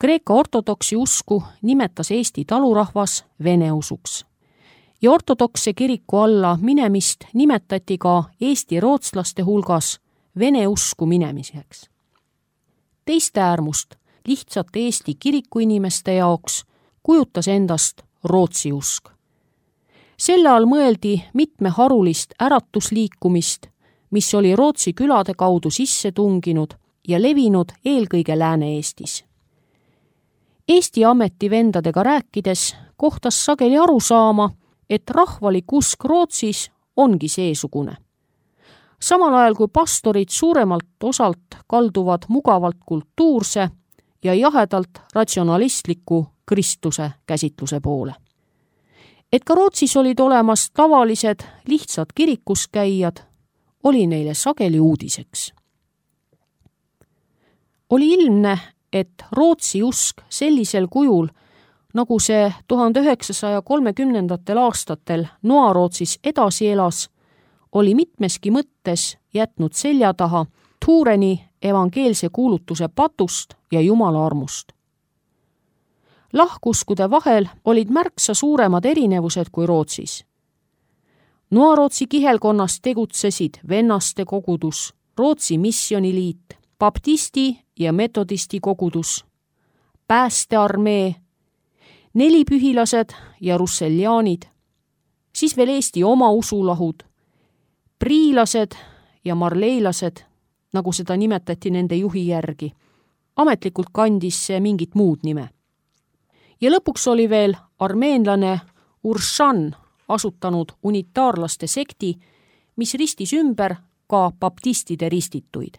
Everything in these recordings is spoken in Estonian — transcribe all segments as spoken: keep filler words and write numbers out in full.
Kreeka ortodoksi usku nimetas Eesti talurahvas vene usuks ja ortodoksse kiriku alla minemist nimetati ka Eesti rootslaste hulgas vene usku minemiseks. Teist äärmust lihtsate Eesti kirikuinimeste jaoks kujutas endast Rootsi usk. Selle all mõeldi mitmeharulist äratusliikumist, mis oli Rootsi külade kaudu sisse tunginud ja levinud eelkõige Lääne-Eestis. Eesti ametivendadega rääkides kohtas sageli aru saama, et rahvalik usk Rootsis ongi seesugune. Samal ajal kui pastorid suuremalt osalt kalduvad mugavalt kultuurse ja jahedalt ratsionalistliku kristluse käsitluse poole. Et ka Rootsis olid olemas tavalised lihtsad kirikus käijad, oli neile sageli uudiseks. Oli ilmne, et Rootsi usk sellisel kujul, nagu see tuhande üheksasaja kolmekümnendatel aastatel Noa-Rootsis edasi elas, oli mitmeski mõttes jätnud selja taha Tureni evangeelse kuulutuse patust ja Jumala armust. Lahkuskude vahel olid märksa suuremad erinevused kui Rootsis. Noa-Rootsi kihelkonnas tegutsesid vennaste kogudus, Rootsi missioniliit, baptisti ja metodisti kogudus, päästearmee, nelipühilased ja russeljaanid, siis veel Eesti oma usulahud, priilased ja marleilased, nagu seda nimetati nende juhi järgi. Ametlikult kandis see mingit muud nime. Ja lõpuks oli veel armeenlane Urshan asutanud unitaarlaste sekti, mis ristis ümber ka baptistide ristituid.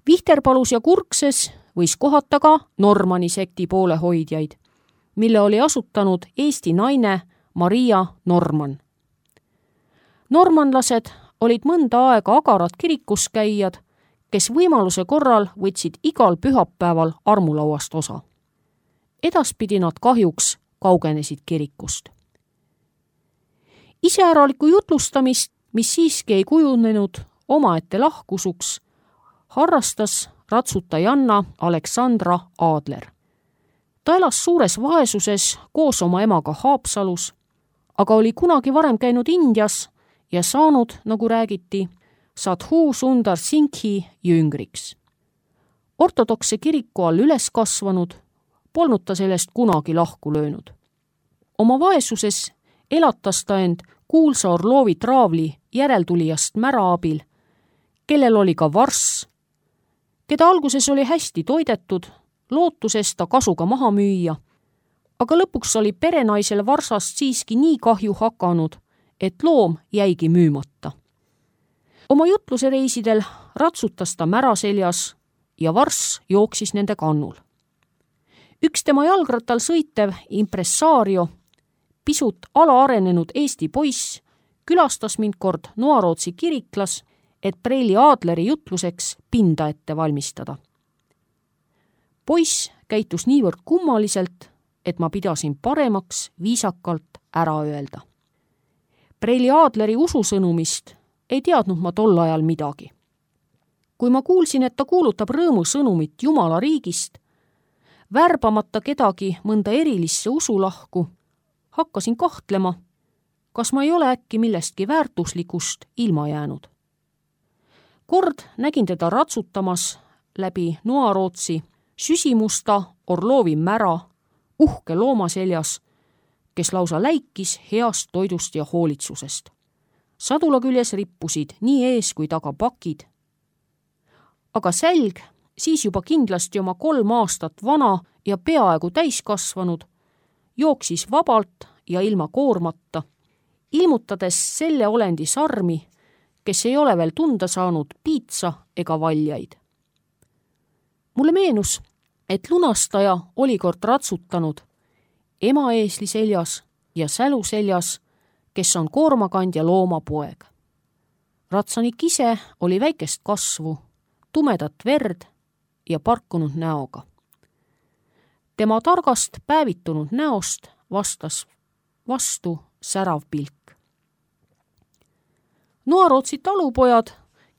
Vihterpalus ja Kurkses võis kohata ka Normani sekti poolehoidjaid, mille oli asutanud Eesti naine Maria Norman. Normanlased olid mõnda aega agarad kirikuskäijad, kes võimaluse korral võtsid igal pühapäeval armulauast osa. Edaspidi nad kahjuks kaugenesid kirikust. Iseäralikku jutlustamist, mis siiski ei kujunenud omaette lahkusuks, harrastas ratsutajanna Aleksandra Aadler. Ta elas suures vaesuses koos oma emaga Haapsalus, aga oli kunagi varem käinud Indias ja saanud, nagu räägiti, Sadhu Sundar Singhi jüngriks. Ortodokse kiriku all üles kasvanud, polnud ta sellest kunagi lahku löönud. Oma vaesuses elatas ta end kuulsa Orlovi traavli järeltulijast Mära abil, kellel oli ka varss, keda alguses oli hästi toidetud, lootuses ta kasuga maha müüa, aga lõpuks oli perenaisel varsast siiski nii kahju hakanud, et loom jäigi müümata. Oma jutluse reisidel ratsutas ta Mära seljas ja varss jooksis nende kannul. Üks tema jalgrattal sõitev impressaario, pisut alaarenenud Eesti poiss, külastas mind kord Noa-Rootsi kiriklas, et Preili Aadleri jutluseks pinda ette valmistada. Poiss käitus niivõrd kummaliselt, et ma pidasin paremaks viisakalt ära öelda. Preili Aadleri ususõnumist ei teadnud ma tol ajal midagi. Kui ma kuulsin, et ta kuulutab rõõmusõnumit Jumala riigist, värbamata kedagi mõnda erilisse usulahku, hakkasin kahtlema, kas ma ei ole äkki millestki väärtuslikust ilma jäänud. Kord nägin teda ratsutamas läbi Noa-Rootsi süsimusta Orlovi Mära, uhke looma seljas, kes lausa läikis heast toidust ja hoolitsusest. Sadula küljes rippusid nii ees kui taga pakid. Aga sälg, siis juba kindlasti oma kolm aastat vana ja peaaegu täiskasvanud, jooksis vabalt ja ilma koormata, ilmutades selle olendi sarmi, kes ei ole veel tunda saanud piitsa ega valjaid. Mulle meenus, et lunastaja oli kord ratsutanud ema eesli seljas ja sälu seljas, kes on koormakandja looma poeg. Ratsanik ise oli väikest kasvu, tumedat verd ja parkunud näoga. Tema targast päevitunud näost vastas vastu särav pilk. Noa-Rootsi talupojad,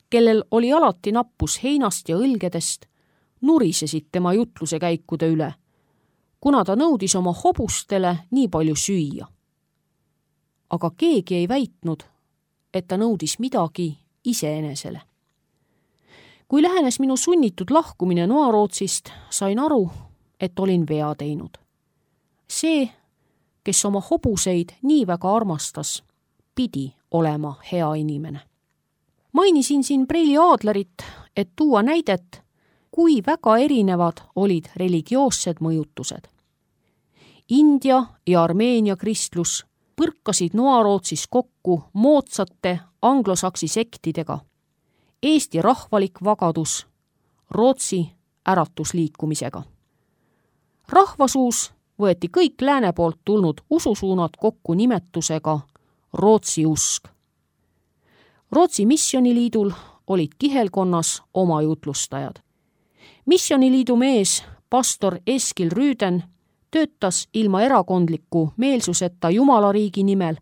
kellel oli alati nappus heinast ja õlgedest, nurisesid tema jutluse käikude üle, kuna ta nõudis oma hobustele nii palju süüa. Aga keegi ei väitnud, et ta nõudis midagi iseenesele. Kui lähenes minu sunnitud lahkumine Noarootsist, sain aru, et olin vea teinud. See, kes oma hobuseid nii väga armastas, pidi olema hea inimene. Mainisin siin Preili Adlerit, et tuua näidet, kui väga erinevad olid religioossed mõjutused. India ja Armeenia kristlus põrkasid Noarootsis kokku moodsate anglosaksi sektidega, Eesti rahvalik vagadus Rootsi äratusliikumisega. Rahvasuus võeti kõik lääne poolt tulnud ususuunad kokku nimetusega Rootsi usk. Rootsi missioniliidul olid kihelkonnas oma jutlustajad. Missioniliidu mees, pastor Eskil Rüüden, töötas ilma erakondliku meelsuseta Jumalariigi nimel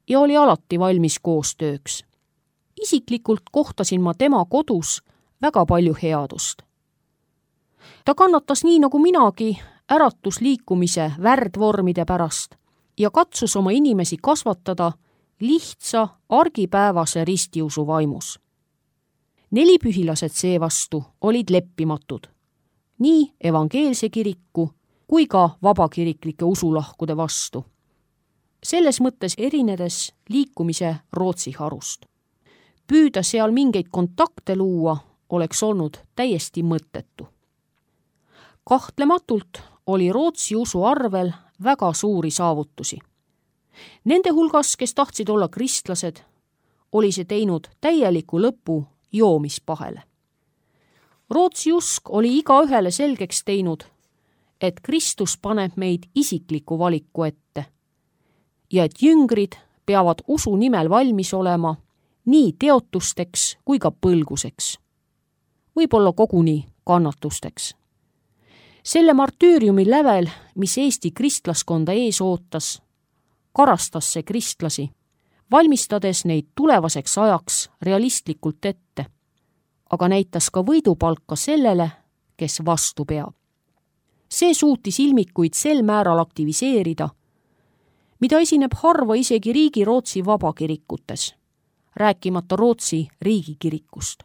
ja oli alati valmis koostööks. Isiklikult kohtasin ma tema kodus väga palju headust. Ta kannatas nii nagu minagi äratusliikumise värdvormide pärast ja katsus oma inimesi kasvatada lihtsa argipäevase ristiusu vaimus. Nelipühilased seevastu olid leppimatud, nii evangeelse kiriku kui ka vabakiriklike usulahkude vastu. Selles mõttes erinedes liikumise Rootsi harust. Püüda seal mingeid kontakte luua oleks olnud täiesti mõttetu. Kahtlematult oli Rootsi usu arvel väga suuri saavutusi. Nende hulgas, kes tahtsid olla kristlased, oli see teinud täieliku lõpu joomispahele. Rootsi usk oli igaühele selgeks teinud, et Kristus paneb meid isikliku valiku ette ja et jüngrid peavad usu nimel valmis olema nii teotusteks kui ka põlguseks, võib-olla koguni kannatusteks. Selle martüüriumi lävel, mis Eesti kristlaskonda ees ootas, karastas see kristlasi, valmistades neid tulevaseks ajaks realistlikult ette, aga näitas ka võidupalka sellele, kes vastu peab. See suutis ilmikuid sel määral aktiviseerida, mida esineb harva isegi riigi Rootsi vabakirikutes, rääkimata Rootsi riigikirikust.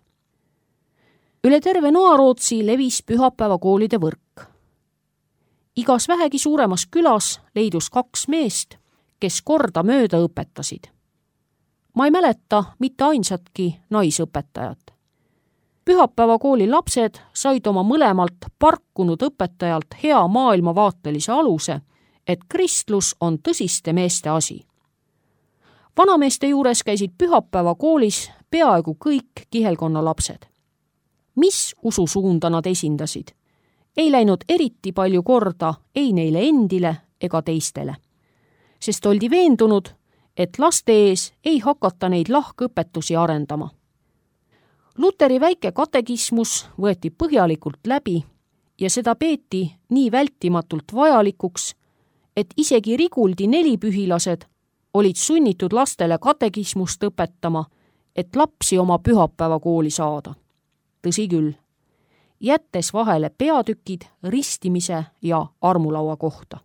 Üle terve Noarootsi levis pühapäevakoolide võrk. Igas vähegi suuremas külas leidus kaks meest, kes korda mööda õpetasid. Ma ei mäleta mitte ainsatki naisõpetajat. Pühapäevakooli lapsed said oma mõlemalt parkunud õpetajalt hea maailmavaatelise aluse, et kristlus on tõsiste meeste asi. Vanameeste juures käisid pühapäevakoolis peaaegu kõik kihelkonna lapsed. Mis ususuunda nad esindasid? Ei läinud eriti palju korda ei neile endile ega teistele, sest oldi veendunud, et laste ees ei hakata neid lahkõpetusi arendama. Luteri väike katekismus võeti põhjalikult läbi ja seda peeti nii vältimatult vajalikuks, et isegi Riguldi nelipühilased olid sunnitud lastele katekismust õpetama, et lapsi oma pühapäevakooli saada. Tõsi küll, jättes vahele peatükid ristimise ja armulaua kohta.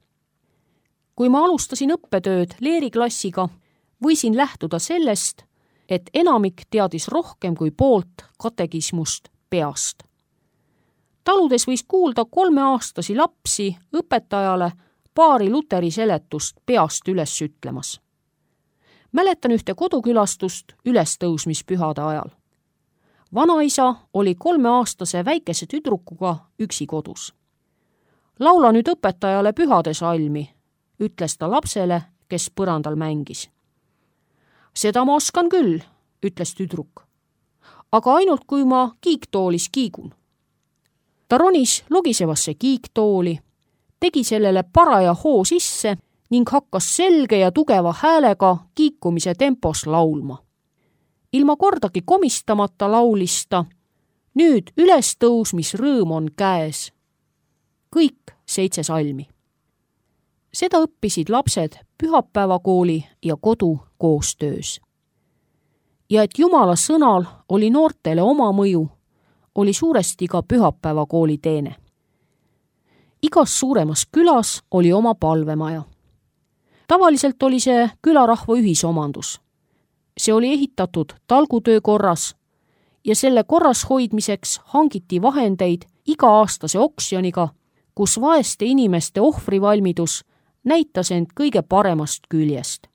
Kui ma alustasin õppetööd leeriklassiga, võisin lähtuda sellest, et enamik teadis rohkem kui poolt katekismust peast. Taludes võis kuulda kolmeaastasi lapsi õpetajale paari Luteri seletust peast üles ütlemas. Mäletan ühte kodukülastust ülestõusmispühade ajal. Vanaisa oli kolmeaastase väikese tüdrukuga üksi kodus. Laula nüüd õpetajale pühade salmi, ütles ta lapsele, kes põrandal mängis. Seda ma oskan küll, ütles tüdruk, aga ainult kui ma kiiktoolis kiigun. Ta ronis logisevasse kiiktooli, tegi sellele paraja hoo sisse ning hakkas selge ja tugeva häälega kiikumise tempos laulma. Ilma kordagi komistamata laulista, nüüd ülestõusmisrõõm on käes. Kõik seitse salmi. Seda õppisid lapsed pühapäevakooli ja kodu koostöös. Ja et Jumala sõnal oli noortele oma mõju, oli suuresti ka pühapäevakooli teene. Igas suuremas külas oli oma palvemaja. Tavaliselt oli see külarahva ühisomandus. See oli ehitatud talgutöö korras ja selle korras hoidmiseks hangiti vahendeid iga-aastase oksjoniga, kus vaeste inimeste ohvrivalmidus näitas end kõige paremast küljest.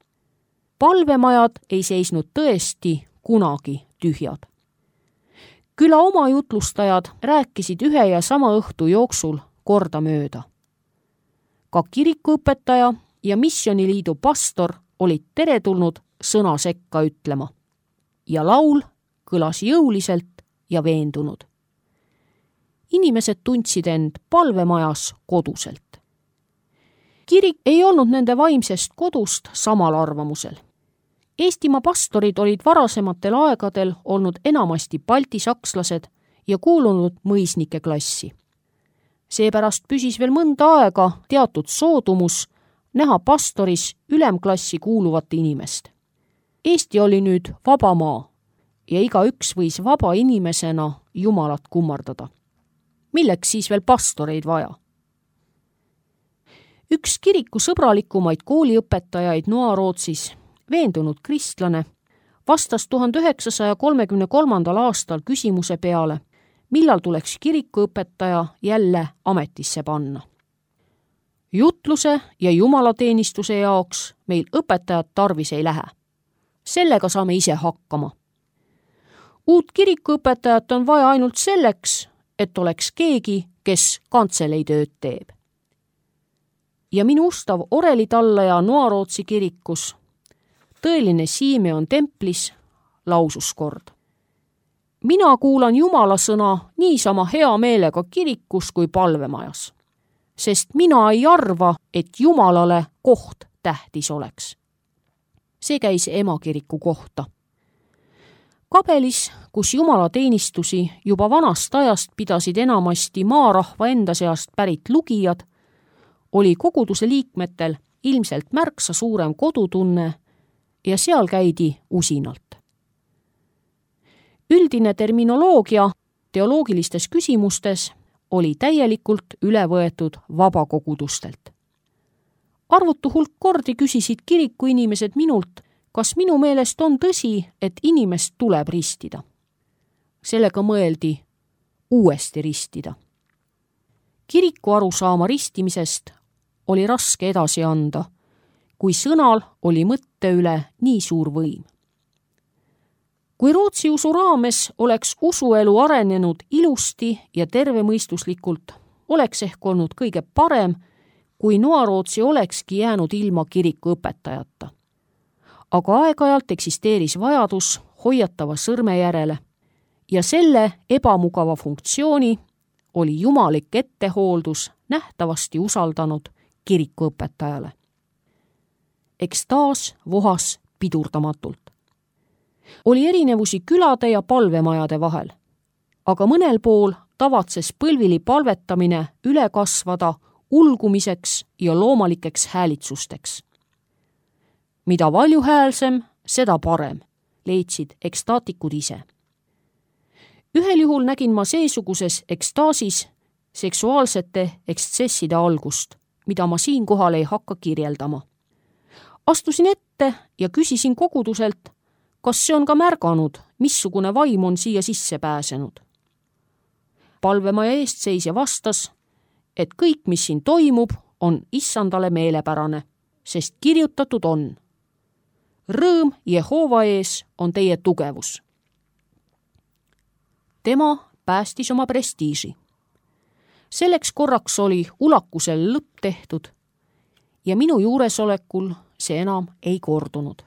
Palvemajad ei seisnud tõesti kunagi tühjad. Küla oma jutlustajad rääkisid ühe ja sama õhtu jooksul kordamööda. Ka kirikuõpetaja ja missioniliidu pastor olid teretulnud sõna sekka ütlema. Ja laul kõlas jõuliselt ja veendunud. Inimesed tundsid end palvemajas koduselt. Kirik ei olnud nende vaimsest kodust samal arvamusel. Eestimaa pastorid olid varasematel aegadel olnud enamasti baltisakslased ja kuulunud mõisnike klassi. Seepärast püsis veel mõnda aega teatud soodumus näha pastoris ülemklassi kuuluvat inimest. Eesti oli nüüd vaba maa ja igaüks võis vaba inimesena Jumalat kummardada. Milleks siis veel pastoreid vaja? Üks kiriku sõbralikumaid kooliõpetajaid Noa-Rootsis, veendunud kristlane, vastas tuhande üheksasaja kolmekümne kolmandal aastal küsimuse peale, millal tuleks kirikuõpetaja jälle ametisse panna. Jutluse ja jumalateenistuse jaoks meil õpetajad tarvis ei lähe. Sellega saame ise hakkama. Uut kirikuõpetajat on vaja ainult selleks, et oleks keegi, kes kantseleitööd teeb. Ja minu ustav orelitallaja Noa-Rootsi kirikus, tõeline Simeon templis, lausus kord. Mina kuulan Jumala sõna niisama hea meelega kirikus kui palvemajas, sest mina ei arva, et Jumalale koht tähtis oleks. See käis emakiriku kohta. Kabelis, kus jumalateenistusi juba vanast ajast pidasid enamasti maarahva enda seast pärit lugijad, oli koguduse liikmetel ilmselt märksa suurem kodutunne ja seal käidi usinalt. Üldine terminoloogia teoloogilistes küsimustes oli täielikult üle võetud vabakogudustelt. Arvutu hulk kordi küsisid kiriku inimesed minult, kas minu meelest on tõsi, et inimest tuleb ristida. Sellega mõeldi uuesti ristida. Kiriku arusaama ristimisest oli raske edasi anda, kui sõnal oli mõtte üle nii suur võim. Kui Rootsi usu raames oleks usuelu arenenud ilusti ja tervemõistuslikult, oleks ehk olnud kõige parem, kui Noa-Rootsi olekski jäänud ilma kiriku õpetajata. Aga aeg-ajalt eksisteeris vajadus hoiatava sõrme järele ja selle ebamugava funktsiooni oli jumalik ettehooldus nähtavasti usaldanud kirikuõpetajale. Ekstaas vohas pidurdamatult. Oli erinevusi külade ja palvemajade vahel, aga mõnel pool tavatses põlvili palvetamine üle kasvada ulgumiseks ja loomalikeks häälitsusteks. Mida valjuhäälsem, seda parem, leidsid ekstaatikud ise. Ühel juhul nägin ma seesuguses ekstaasis seksuaalsete ekstsesside algust, mida ma siinkohal ei hakka kirjeldama. Astusin ette ja küsisin koguduselt, kas see on ka märganud, missugune vaim on siia sisse pääsenud. Palvemaja eestseisja vastas, et kõik, mis siin toimub, on issandale meelepärane, sest kirjutatud on: rõõm Jehova ees on teie tugevus. Tema päästis oma prestiiži. Selleks korraks oli ulakusel lõpp tehtud ja minu juuresolekul see enam ei kordunud.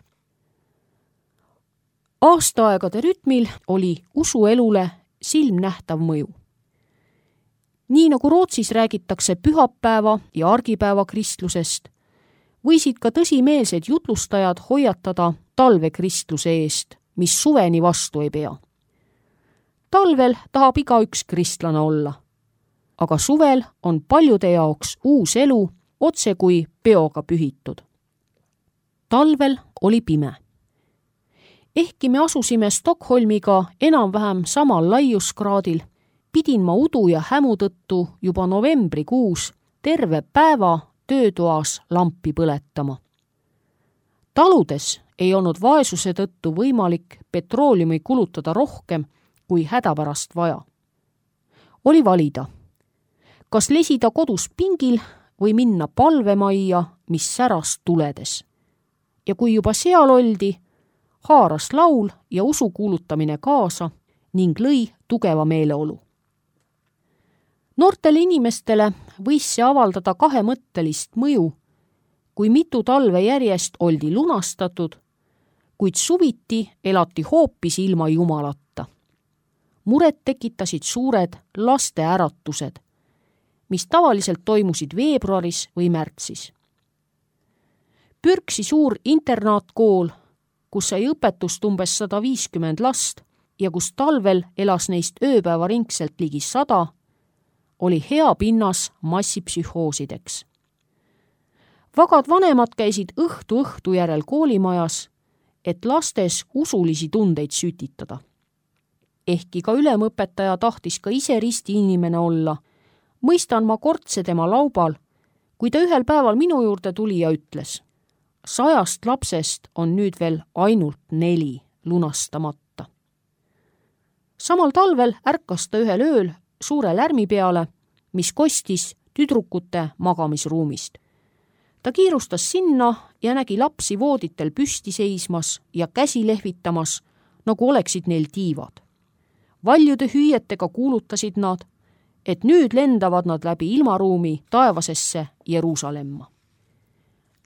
Aastaaegade rütmil oli usuelule silmnähtav mõju. Nii nagu Rootsis räägitakse pühapäeva ja argipäeva kristlusest, võisid ka tõsimeelsed jutlustajad hoiatada talvekristluse eest, mis suveni vastu ei pea. Talvel tahab igaüks kristlane olla, aga suvel on paljude jaoks uus elu otse kui peoga pühitud. Talvel oli pime. Ehkki me asusime Stockholmiga enam-vähem samal laiuskraadil, pidin ma udu ja hämu tõttu juba novembrikuus terve päeva töötoas lampi põletama. Taludes ei olnud vaesuse tõttu võimalik petrooliumi kulutada rohkem kui hädapärast vaja. Oli valida, kas lesida kodus pingil või minna palvemajja, mis säras tuledes. Ja kui juba seal oldi, haaras laul ja usu kuulutamine kaasa ning lõi tugeva meeleolu. Noortele inimestele võis see avaldada kahemõttelist mõju, kui mitu talve järjest oldi lunastatud, kuid suviti elati hoopis ilma Jumalata. Muret tekitasid suured laste äratused, mis tavaliselt toimusid veebruaris või märtsis. Pürksi suur internaatkool, kus sai õpetust umbes sada viiskümmend last ja kus talvel elas neist ööpäevaringselt ligi sada, oli hea pinnas massipsühhoosideks. Vagad vanemad käisid õhtu õhtu järel koolimajas, et lastes usulisi tundeid sütitada. Ehkki ka ülemõpetaja tahtis ka ise risti inimene olla, mõistan ma kortse tema laubal, kui ta ühel päeval minu juurde tuli ja ütles, sajast lapsest on nüüd veel ainult neli lunastamata. Samal talvel ärkas ta ühel ööl suure lärmi peale, mis kostis tüdrukute magamisruumist. Ta kiirustas sinna ja nägi lapsi vooditel püsti seismas ja käsi lehvitamas, nagu oleksid neil tiivad. Valjude hüüetega kuulutasid nad, et nüüd lendavad nad läbi ilmaruumi taevasesse Jeruusalemma.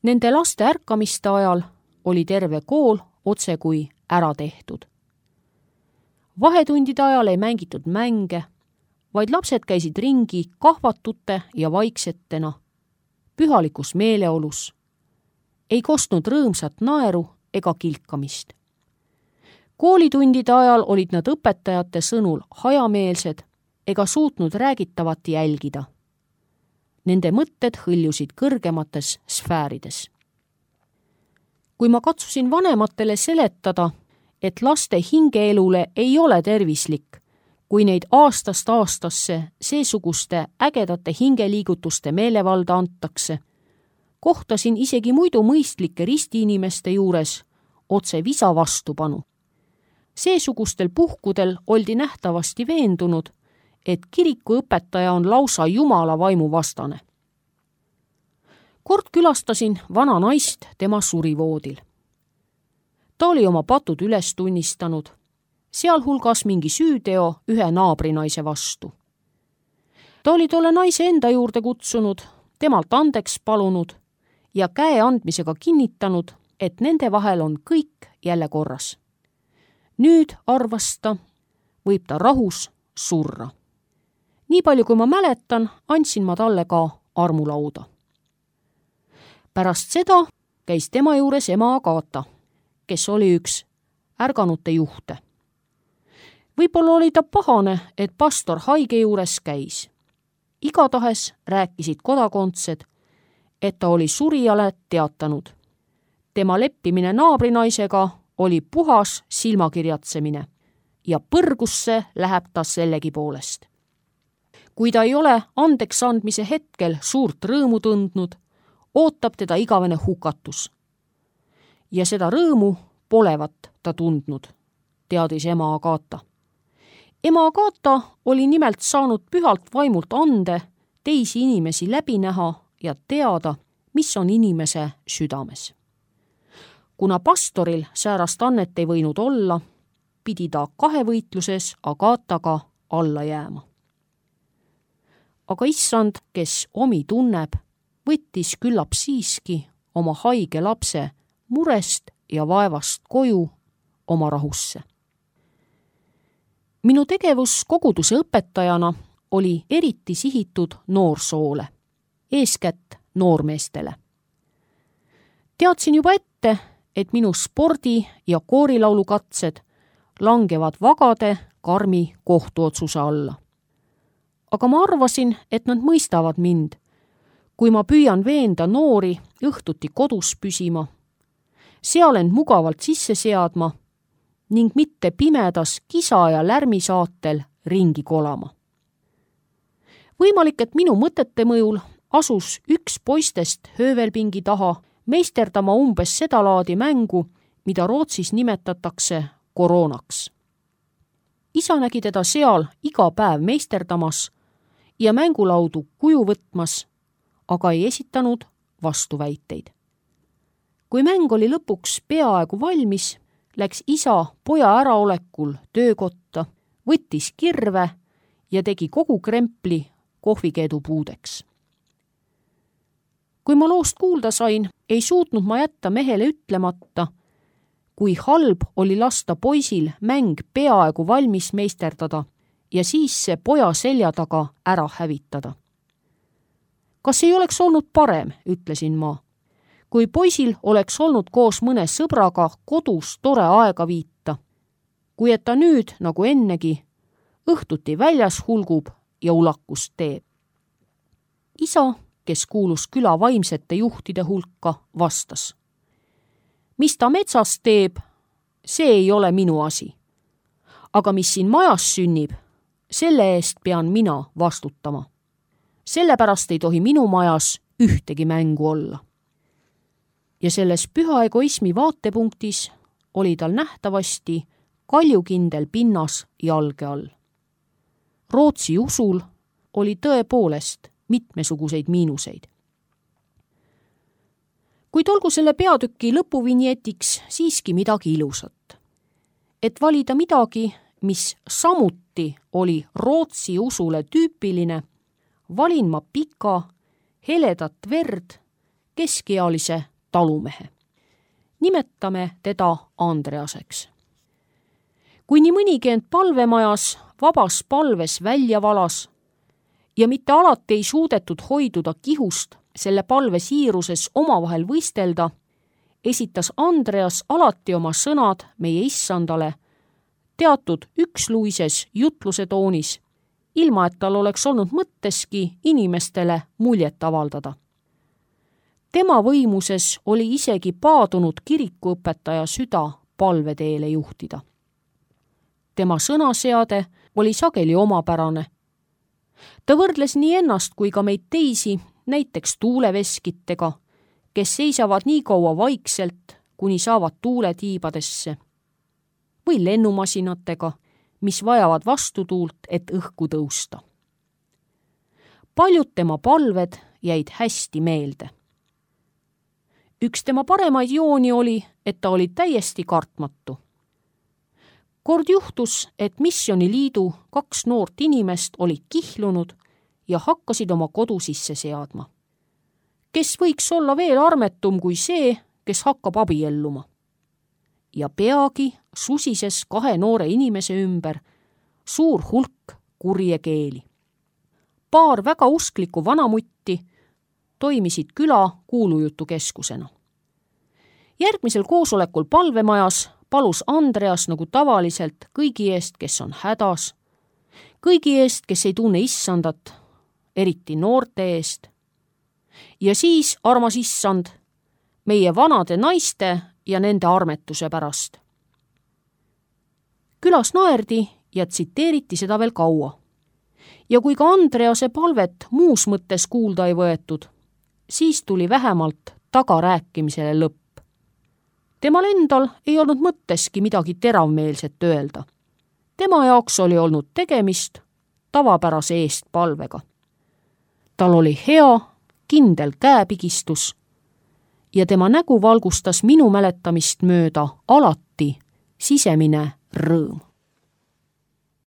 Nende laste ärkamiste ajal oli terve kool otse kui ära tehtud. Vahetundide ajal ei mängitud mänge, vaid lapsed käisid ringi kahvatute ja vaiksetena, pühalikus meeleolus, ei kostnud rõõmsat naeru ega kilkamist. Koolitundide ajal olid nad õpetajate sõnul hajameelsed ega suutnud räägitavat jälgida. Nende mõtted hõljusid kõrgemates sfäärides. Kui ma katsusin vanematele seletada, et laste hingeelule ei ole tervislik, kui neid aastast aastasse seesuguste ägedate hingeliigutuste meelevalda antakse, kohtasin isegi muidu mõistlike ristiinimeste juures otse visa vastupanu. Seesugustel puhkudel oldi nähtavasti veendunud, et kirikuõpetaja on lausa Jumala vaimu vastane. Kord külastasin vana naist tema surivoodil. Ta oli oma patud üles tunnistanud, sealhulgas mingi süüteo ühe naabrinaise vastu. Ta oli tolle naise enda juurde kutsunud, temalt andeks palunud ja käe andmisega kinnitanud, et nende vahel on kõik jälle korras. Nüüd, arvas ta, võib ta rahus surra. Nii palju, kui ma mäletan, andsin ma talle ka armulauda. Pärast seda käis tema juures ema Agata, kes oli üks ärganute juhte. Võib-olla oli ta pahane, et pastor haige juures käis. Igatahes rääkisid kodakondsed, et ta oli surijale teatanud. Tema leppimine naabrinaisega oli puhas silmakirjatsemine ja põrgusse läheb ta sellegi poolest. Kui ta ei ole andeks andmise hetkel suurt rõõmu tundnud, ootab teda igavene hukatus. Ja seda rõõmu polevat ta tundnud, teadis ema Agata. Ema Agata oli nimelt saanud pühalt vaimult ande teisi inimesi läbi näha ja teada, mis on inimese südames. Kuna pastoril säärast annet ei võinud olla, pidi ta kahevõitluses Agataga alla jääma. Aga issand, kes omi tunneb, võttis küllap siiski oma haige lapse murest ja vaevast koju oma rahusse. Minu tegevus koguduse õpetajana oli eriti sihitud noorsoole, eeskätt noormeestele. Teadsin juba ette, et minu spordi- ja koorilaulukatsed langevad vagade karmi kohtuotsuse alla. Aga ma arvasin, et nad mõistavad mind, kui ma püüan veenda noori õhtuti kodus püsima, seal end mugavalt sisse seadma ning mitte pimedas kisa ja lärmi saatel ringi kolama. võimalik, et minu mõtete mõjul asus üks poistest höövelpingi taha meisterdama umbes seda laadi mängu, mida Rootsis nimetatakse koroonaks. Isa nägi teda seal iga päev meisterdamas ja mängulaudu kuju võtmas, aga ei esitanud vastuväiteid. Kui mäng oli lõpuks peaaegu valmis, läks isa poja äraolekul töökotta, võttis kirve ja tegi kogu krempli kohvikeedu puudeks. Kui ma loost kuulda sain, ei suutnud ma jätta mehele ütlemata, kui halb oli lasta poisil mäng peaaegu valmis meisterdada ja siis see poja selja taga ära hävitada. Kas ei oleks olnud parem, ütlesin ma, kui poisil oleks olnud koos mõne sõbraga kodus tore aega viita, kui et ta nüüd, nagu ennegi, õhtuti väljas hulgub ja ulakust teeb. Isa, kes kuulus küla vaimsete juhtide hulka, vastas. Mis ta metsas teeb, see ei ole minu asi. Aga mis siin majas sünnib, selle eest pean mina vastutama. Sellepärast ei tohi minu majas ühtegi mängu olla. Ja selles püha egoismi vaatepunktis oli tal nähtavasti kaljukindel pinnas jalge all. Rootsi usul oli tõepoolest mitmesuguseid miinuseid. Kuid olgu selle peatüki lõpuvinjetiks siiski midagi ilusat. Et valida midagi, mis samuti oli Rootsi usule tüüpiline, valin ma pika, heledat verd, keskealise talumehe. Nimetame teda Andreaseks. Kui nii mõnigi end palvemajas vabas palves välja valas ja mitte alati ei suudetud hoiduda kihust selle palve siiruses omavahel võistelda, esitas Andreas alati oma sõnad meie issandale teatud üksluises jutluse toonis, ilma et tal oleks olnud mõtteski inimestele muljet avaldada. Tema võimuses oli isegi paadunud kirikuõpetaja süda palveteele juhtida. Tema sõnaseade oli sageli omapärane. Ta võrdles nii ennast kui ka meid teisi, näiteks tuuleveskitega, kes seisavad nii kaua vaikselt, kuni saavad tuule tiibadesse, või lennumasinatega, mis vajavad vastutuult, et õhku tõusta. Paljud tema palved jäid hästi meelde. Üks tema paremaid jooni oli, et ta oli täiesti kartmatu. Kord juhtus, et missioniliidu kaks noort inimest olid kihlunud ja hakkasid oma kodu sisse seadma. Kes võiks olla veel armetum kui see, kes hakkab abielluma? Ja peagi susises kahe noore inimese ümber suur hulk kurje keeli. Paar väga usklikku vanamutti toimisid küla kuulujutukeskusena. Järgmisel koosolekul palvemajas palus Andreas nagu tavaliselt kõigi eest, kes on hädas, kõigi eest, kes ei tunne issandat, eriti noorte eest. Ja siis, armas issand, meie vanade naiste ja nende armetuse pärast. Külas naerdi ja tsiteeriti seda veel kaua. Ja kui ka Andrease palvet muus mõttes kuulda ei võetud, siis tuli vähemalt tagarääkimisele lõpp. Temal endal ei olnud mõtteski midagi teravmeelset öelda. Tema jaoks oli olnud tegemist tavapärase eest palvega. Tal oli hea, kindel käepigistus ja tema nägu valgustas minu mäletamist mööda alati sisemine rõõm.